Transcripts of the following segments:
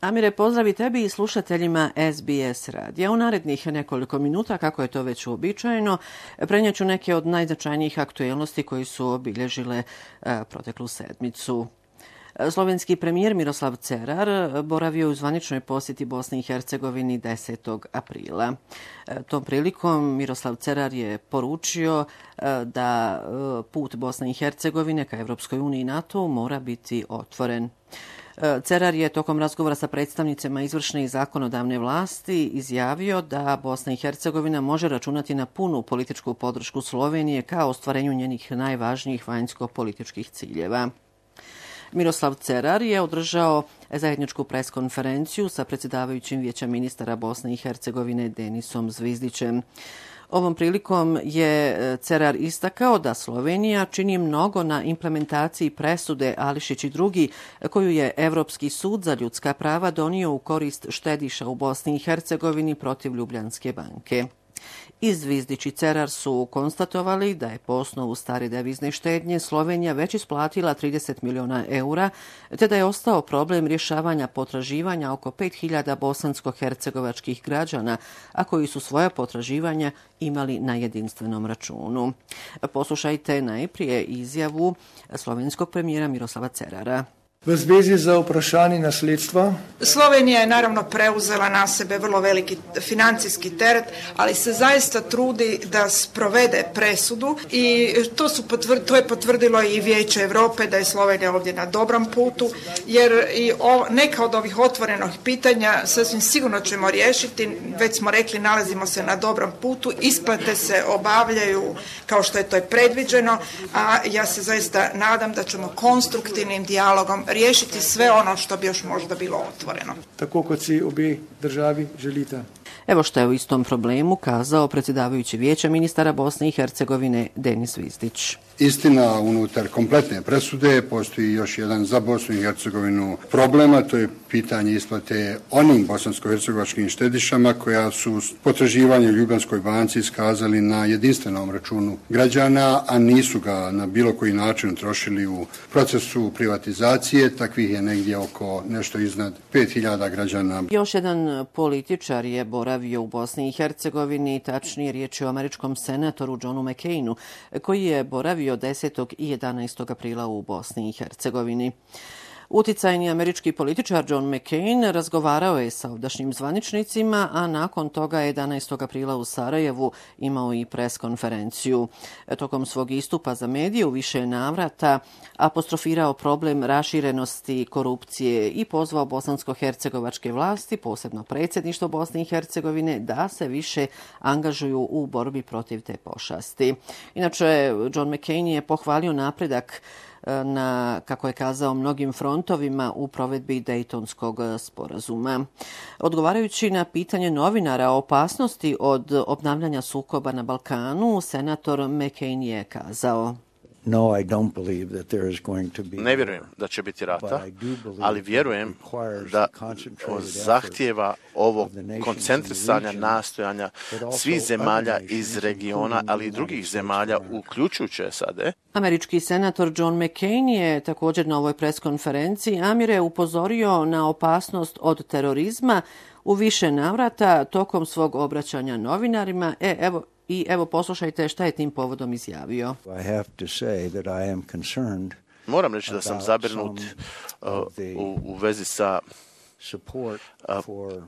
Amire, pozdravi tebi i slušateljima SBS radija. U narednih nekoliko minuta, kako je to već uobičajeno, prenijet ću neke od najznačajnijih aktuelnosti koji su obilježile proteklu sedmicu. Slovenski premijer Miroslav Cerar boravio je u zvaničnoj posjeti Bosni i Hercegovini 10. aprila. Tom prilikom Miroslav Cerar je poručio da put Bosne i Hercegovine ka Evropskoj uniji i NATO mora biti otvoren. Cerar je tokom razgovora sa predstavnicima izvršne i zakonodavne vlasti izjavio da Bosna i Hercegovina može računati na punu političku podršku Slovenije ka ostvarenju njenih najvažnijih vanjsko-političkih ciljeva. Miroslav Cerar je održao zajedničku preskonferenciju sa predsjedavajućim Vijeća ministara Bosne i Hercegovine Denisom Zvizdićem. Ovom prilikom je Cerar istakao da Slovenija čini mnogo na implementaciji presude Ališić i drugi, koju je Evropski sud za ljudska prava donio u korist štediša u Bosni i Hercegovini protiv Ljubljanske banke. I Zvizdić i Cerar su konstatovali da je po osnovu stare devizne štednje Slovenija već isplatila 30 miliona eura, te da je ostao problem rješavanja potraživanja oko 5000 bosansko-hercegovačkih građana, a koji su svoja potraživanja imali na jedinstvenom računu. Poslušajte najprije izjavu slovenskog premijera Miroslava Cerara. V zvezi za vprašanje nasledstva. Slovenija je naravno preuzela na sebe vrlo veliki financijski teret, ali se zaista trudi da sprovede presudu i to je potvrdilo i Vijeće Europe da je Slovenija ovdje na dobrom putu, jer i neka od ovih otvorenih pitanja sasvim sigurno ćemo riješiti. Već smo rekli, nalazimo se na dobrom putu, isplate se obavljaju kao što je to predviđeno, a ja se zaista nadam da ćemo konstruktivnim dijalogom riješiti sve ono što bi još možda bilo otvoreno. Tako kot si obe državi želite. Evo što je o istom problemu kazao predsjedavajući Vijeća ministara Bosne i Hercegovine Denis Zvizdić. Istina, unutar kompletne presude postoji još jedan za Bosnu i Hercegovinu problema, to je pitanje isplate onim bosansko-hercegovačkim štedišama koja su potraživanje u Ljubljanskoj banci iskazali na jedinstvenom računu građana, a nisu ga na bilo koji način trošili u procesu privatizacije. Takvih je negdje oko nešto iznad 5000 građana. Još jedan političar je boravio u Bosni i Hercegovini, tačnije riječ je o američkom senatoru Johnu McCainu, koji je boravio 10. i 11. aprila u Bosni i Hercegovini. Uticajni američki političar John McCain razgovarao je sa ovdašnjim zvaničnicima, a nakon toga 11. aprila u Sarajevu imao i preskonferenciju. Tokom svog istupa za medije u više navrata apostrofirao problem raširenosti korupcije i pozvao bosansko-hercegovačke vlasti, posebno predsjedništvo Bosne i Hercegovine, da se više angažuju u borbi protiv te pošasti. Inače, John McCain je pohvalio napredak na, kako je kazao, mnogim frontovima u provedbi Dejtonskog sporazuma. Odgovarajući na pitanje novinara o opasnosti od obnavljanja sukoba na Balkanu, senator McCain je kazao: Ne vjerujem da će biti rata, ali vjerujem da zahtijeva ovo koncentrisanja nastojanja svih zemalja iz regiona, ali i drugih zemalja, uključujući SAD. Američki senator John McCain je također na ovoj preskonferenciji Amire upozorio na opasnost od terorizma u više navrata tokom svog obraćanja novinarima. Evo poslušajte šta je tim povodom izjavio. Moram reći da sam zabrinut u vezi sa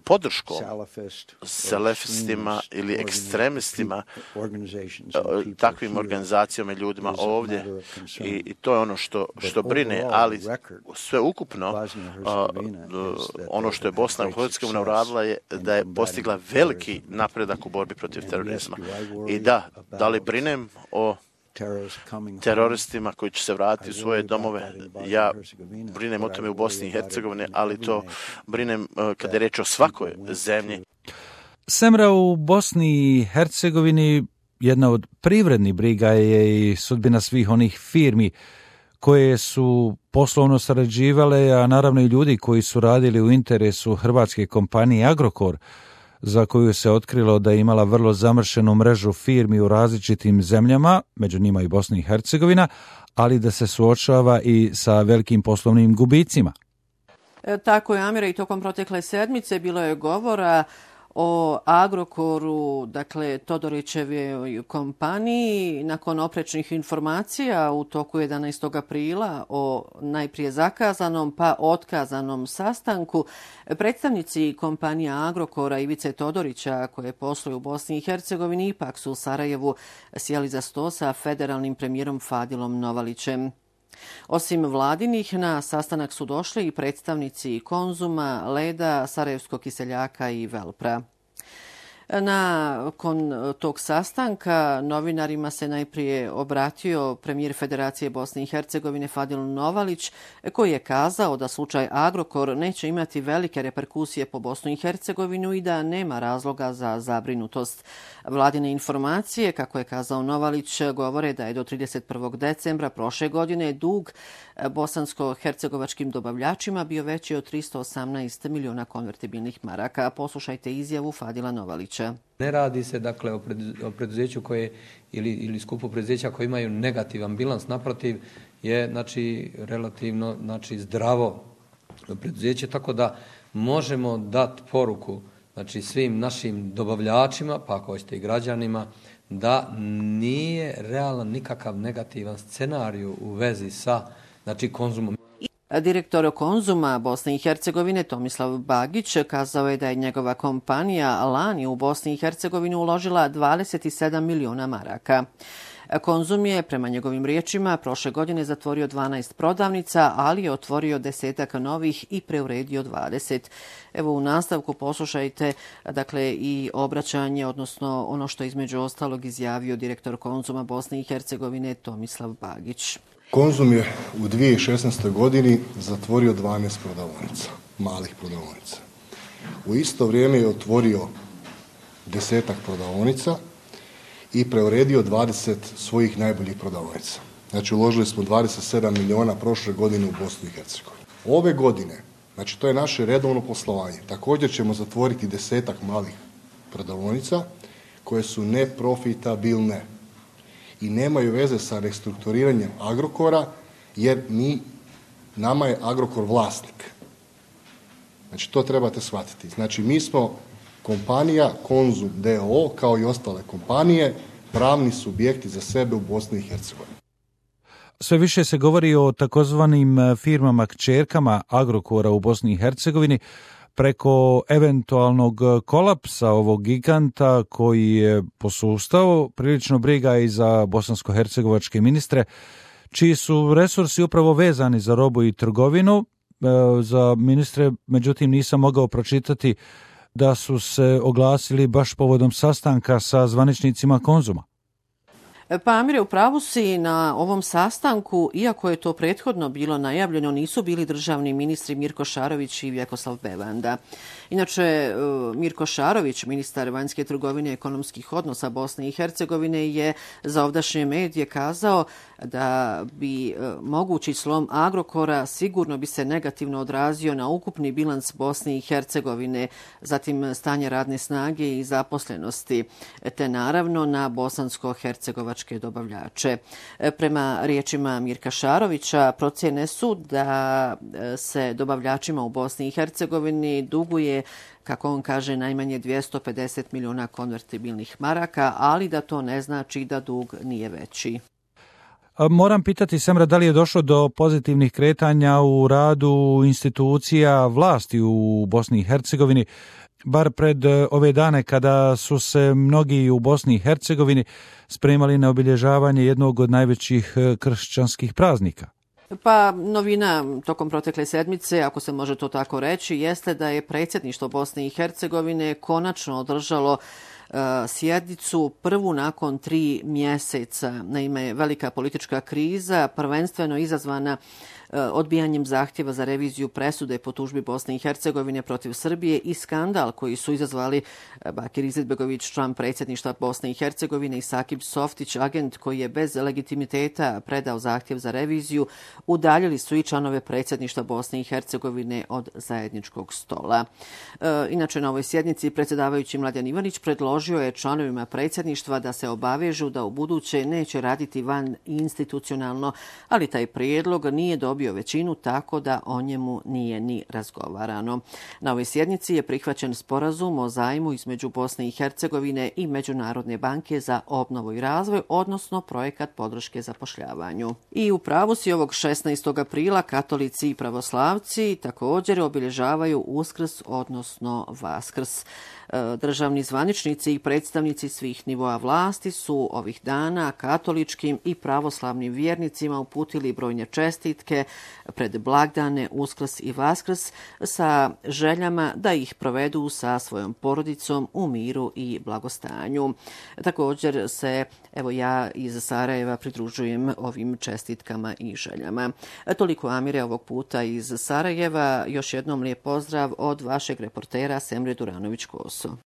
podrškom salafistima ili ekstremistima, takvim organizacijama i ljudima ovdje, i to je ono što brine, ali sve ukupno ono što je Bosna i Hercegovina uradila je da je postigla veliki napredak u borbi protiv terorizma. I da li brinem o teroristima koji će se vratiti u svoje domove? Ja brinem o tome u Bosni i Hercegovini, ali to brinem kada je reč o svakoj zemlji. Semra, u Bosni i Hercegovini jedna od privrednih briga je i sudbina svih onih firmi koje su poslovno sarađivale, a naravno i ljudi koji su radili u interesu hrvatske kompanije Agrokor, za koju se otkrilo da je imala vrlo zamršenu mrežu firmi u različitim zemljama, među njima i Bosna i Hercegovina, ali da se suočava i sa velikim poslovnim gubicima. Tako je, Amira, i tokom protekle sedmice bilo je govora o Agrokoru, dakle Todorićevoj kompaniji, nakon oprečnih informacija u toku 11. aprila o najprije zakazanom pa otkazanom sastanku. Predstavnici kompanije Agrokora Ivice Todorića, koje posluju u Bosni i Hercegovini, ipak su u Sarajevu sjeli za sto sa federalnim premijerom Fadilom Novalićem. Osim vladinih, na sastanak su došli i predstavnici Konzuma, Leda, Sarajevskog kiseljaka i Velpra. Nakon tog sastanka novinarima se najprije obratio premijer Federacije Bosne i Hercegovine Fadil Novalić, koji je kazao da slučaj Agrokor neće imati velike reperkusije po Bosnu i Hercegovinu i da nema razloga za zabrinutost. Vladine informacije, kako je kazao Novalić, govore da je do 31. decembra prošle godine dug bosansko-hercegovačkim dobavljačima bio veći od 318 miliona konvertibilnih maraka. Poslušajte izjavu Fadila Novalića. Ne radi se dakle o preduzeću koje ili skupu preduzeća koji imaju negativan bilans, naprotiv je znači relativno zdravo preduzeće, tako da možemo dati poruku znači svim našim dobavljačima, pa ako hoćete i građanima, da nije realan nikakav negativan scenarij u vezi sa Konzumom. Direktor Konzuma Bosne i Hercegovine Tomislav Bagić kazao je da je njegova kompanija lani u Bosni i Hercegovini uložila 27 miliona maraka. Konzum je, prema njegovim riječima, prošle godine zatvorio 12 prodavnica, ali je otvorio 10 novih i preuredio 20. Evo u nastavku poslušajte i obraćanje, odnosno ono što između ostalog izjavio direktor Konzuma Bosne i Hercegovine Tomislav Bagić. Konzum je u 2016. godini zatvorio 12 prodavaonica, malih prodavaonica. U isto vrijeme je otvorio 10 prodavaonica i preuredio 20 svojih najboljih prodavaonica. Znači uložili smo 27 miliona prošle godine u Bosnu i Hercegovini. Ove godine, znači to je naše redovno poslovanje, također ćemo zatvoriti 10 malih prodavaonica koje su neprofitabilne i nemaju veze sa restrukturiranjem Agrokora, jer nama je Agrokor vlasnik. Znači, to trebate shvatiti. Znači, mi smo kompanija Konzum d.o.o. kao i ostale kompanije, pravni subjekti za sebe u Bosni i Hercegovini. Sve više se govori o takozvanim firmama kćerkama Agrokora u Bosni i Hercegovini, preko eventualnog kolapsa ovog giganta koji je posustao. Prilično briga i za bosansko-hercegovačke ministre, čiji su resursi upravo vezani za robu i trgovinu. Za ministre, međutim, nisam mogao pročitati da su se oglasili baš povodom sastanka sa zvaničnicima Konzuma. Pa Amire, u pravu si, na ovom sastanku, iako je to prethodno bilo najavljeno, nisu bili državni ministri Mirko Šarović i Vjekoslav Bevanda. Inače, Mirko Šarović, ministar vanjske trgovine i ekonomskih odnosa Bosne i Hercegovine, je za ovdašnje medije kazao da bi mogući slom Agrokora sigurno bi se negativno odrazio na ukupni bilans Bosne i Hercegovine, zatim stanje radne snage i zaposlenosti, te naravno na bosansko-hercegovačke dobavljače. Prema riječima Mirka Šarovića, procjene su da se dobavljačima u Bosni i Hercegovini duguje, kako on kaže, najmanje 250 miliona konvertibilnih maraka, ali da to ne znači da dug nije veći. Moram pitati, Semra, da li je došlo do pozitivnih kretanja u radu institucija vlasti u Bosni i Hercegovini, bar pred ove dane kada su se mnogi u Bosni i Hercegovini spremali na obilježavanje jednog od najvećih kršćanskih praznika? Pa novina tokom protekle sedmice, ako se može to tako reći, jeste da je predsjedništvo Bosne i Hercegovine konačno održalo sjednicu prvu nakon 3 mjeseca. Naime, velika politička kriza, prvenstveno izazvana odbijanjem zahtjeva za reviziju presude po tužbi Bosne i Hercegovine protiv Srbije i skandal koji su izazvali Bakir Izetbegović, član predsjedništva Bosne i Hercegovine, i Sakib Softić, agent koji je bez legitimiteta predao zahtjev za reviziju, udaljili su i članove predsjedništva Bosne i Hercegovine od zajedničkog stola. Inače, na ovoj sjednici predsjedavajući Mladen Ivanić predložio je članovima predsjedništva da se obavežu da u buduće neće raditi van institucionalno, ali taj prijedlog nije dobio dobio većinu tako da o njemu nije ni razgovarano. Na ovoj sjednici je prihvaćen sporazum o zajmu između Bosne i Hercegovine i Međunarodne banke za obnovu i razvoj, odnosno projekat podrške zapošljavanju. I u pravu si, ovog 16. aprila katolici i pravoslavci također obilježavaju Uskrs, odnosno Vaskrs. Državni zvaničnici i predstavnici svih nivoa vlasti su ovih dana katoličkim i pravoslavnim vjernicima uputili brojne čestitke pred blagdane Uskrs i Vaskrs sa željama da ih provedu sa svojom porodicom u miru i blagostanju. Također se, evo ja iz Sarajeva, pridružujem ovim čestitkama i željama. Toliko, Amire, ovog puta iz Sarajeva. Još jednom lijep pozdrav od vašeg reportera Semre Duranović-Koso.